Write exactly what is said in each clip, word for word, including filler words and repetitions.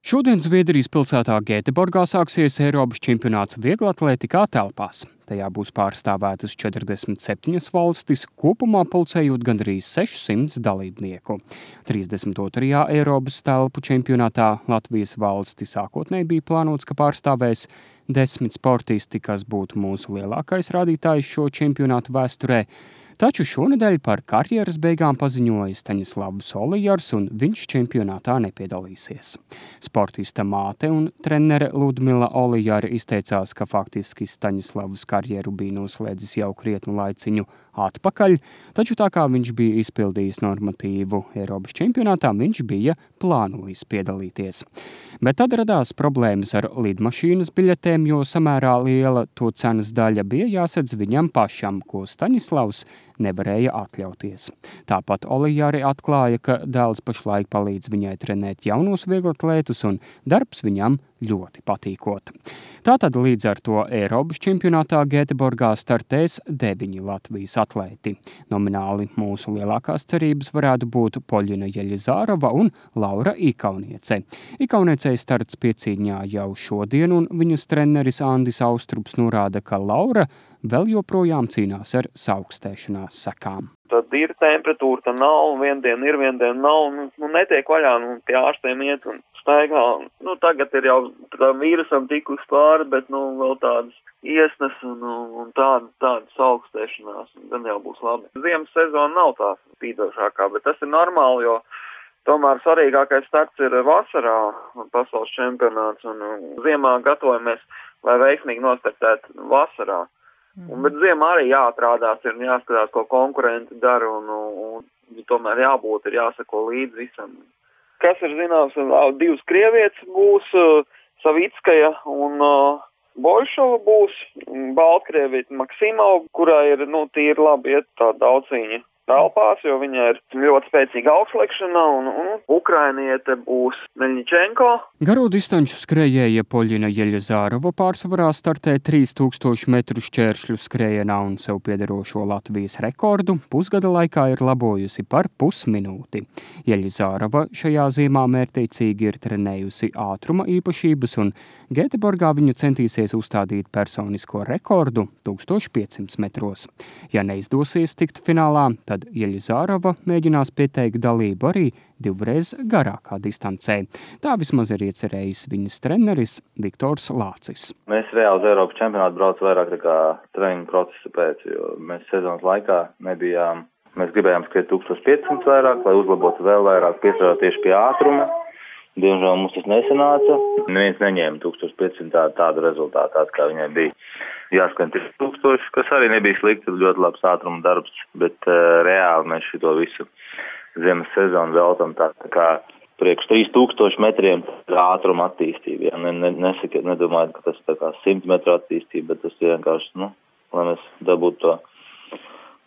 Šodien Zviedrijas pilsētā Gēteborgā sāksies Eiropas čempionāts vieglatlētikā telpās. Tajā būs pārstāvētas četrdesmit septiņas valstis, kopumā pulcējot gandrīz sešsimt dalībnieku. trīsdesmit otrajā Eiropas telpu čempionātā Latvijas valsti sākotnēji bija plānots, ka pārstāvēs desmit sportisti, kas būtu mūsu lielākais rādītājs šo čempionātu vēsturē. Taču šonedēļ par karjeras beigām paziņoja Staņislavs Olijars, un viņš čempionātā nepiedalīsies. Sportista māte un trenere Ludmila Olijāra izteicās, ka faktiski Staņislavs karjeru bija noslēdzis jau krietnu laiciņu atpakaļ, taču tā kā viņš bija izpildījis normatīvu Eiropas čempionātā, viņš bija plānojis piedalīties. Bet tad radās problēmas ar lidmašīnas biļetēm, jo samērā liela to cenas daļa bija jāsedz viņam pašam, ko Staņislavs nevarēja atļauties. Tāpat Olijāri atklāja, ka dēls pašlaik palīdz viņai trenēt jaunos vieglatlētus, un darbs viņam ļoti patīkot. Tātad līdz ar to Eiropas čempionātā Gēteborgā startēs deviņi Latvijas atlēti. Nomināli mūsu lielākās cerības varētu būt Poļina Jeļizārova un Laura Ikauniece. Ikauniecei starts piecīņā jau šodien, un viņas treneris Andis Austrups norāda, ka Laura vēl joprojām cīnās ar saaugstēšanās sekām. Tad ir temperatūra, tad nav, un vien diena ir, vien diena nav, nu, nu netiek vaļā, nu pie ārstiem iet un staigā. Nu tagad ir jau tā vīrusam tikus pāri, bet nu vēl tādas iesnas un, un tādas, tādas saaugstēšanās, un gan jau būs labi. Ziemas sezona nav tā spīdošākā, bet tas ir normāli, jo tomēr svarīgākais starts ir vasarā pasaules čempionāts, un, un ziemā gatavojamies, lai veiksmīgi nostartētu vasarā. Un, bet ziemā arī jāatrādās, ir jāskatās, ko konkurenti dara, un, un, un tomēr jābūt, ir jāsako līdz visam. Kas ir zināms, divas krievietes būs, Savickaja un uh, Boļšova būs, Baltkrievīte Maksimova, kurā ir, nu, tīri labi iet tā daudziņa telpās, jo viņa ir ļoti spēcīga augšlekšanā, un, un ukrainiete būs Meļņičenko. Garo distanču skrējēja Poļina Jeļizārova pārsvarā startē trīs tūkstoši metru šķēršļu skrējienā un sev piederošo Latvijas rekordu pusgada laikā ir labojusi par pusminūti. Jeļizārova šajā ziemā mērķtiecīgi ir trenējusi ātruma īpašības, un Gēteborgā viņa centīsies uzstādīt personisko rekordu tūkstoš piecsimt metros. Ja neizdosies tikt finālā, tad Jeļizārova mēģinās pieteikt dalību arī divreiz garākā distancē. Tā vismaz ir iecerējis viņas treneris Viktors Lācis. Mēs reāli uz Eiropas čempionātu brauc vairāk nekā treniņu procesa pēc, jo mēs sezonas laikā nebijām, mēs gribējām skriet tūkstoš piecsimt vairāk, lai uzlabotu vēl vairāk, piestrādāt tieši pie ātruma. Diemžēl mums tas nesanāca. Neviens neņēma tūkstoš piecsimt tā, tādu rezultātu, kā viņai bija. Jāskan trīs tūkstoši, kas arī nebija slikti, ļoti labs ātruma darbs, bet uh, reāli mēs šito visu ziemas sezonu veltam tā, tā kā priekš trīs tūkstoši metriem ātruma attīstība. Ja? Ne, ne, nesaka, nedomāju, ka tas tā kā simt metru attīstība, bet tas vienkārši, nu, lai mēs dabūtu to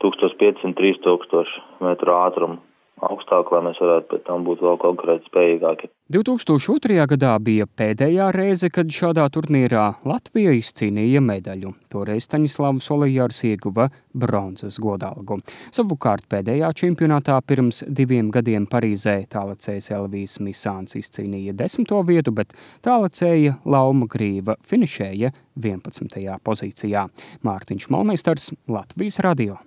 tūkstoš piecsimt, trīs tūkstoši metru ātrumu augstāk, lai mēs varētu pēc tam būt vēl konkurēt spējīgāki. divi tūkstoši otrajā gadā bija pēdējā reize, kad šādā turnīrā Latvija izcīnīja medaļu. Toreiz Staņislavs Olijārs ieguva bronzas godalgu. Savukārt pēdējā čempionātā pirms diviem gadiem Parīzē tālacējs Elvijs Misāns izcīnīja desmito vietu, bet tālacēja Lauma Grīva finišēja vienpadsmitajā pozīcijā. Mārtiņš Malmeistars, Latvijas radio.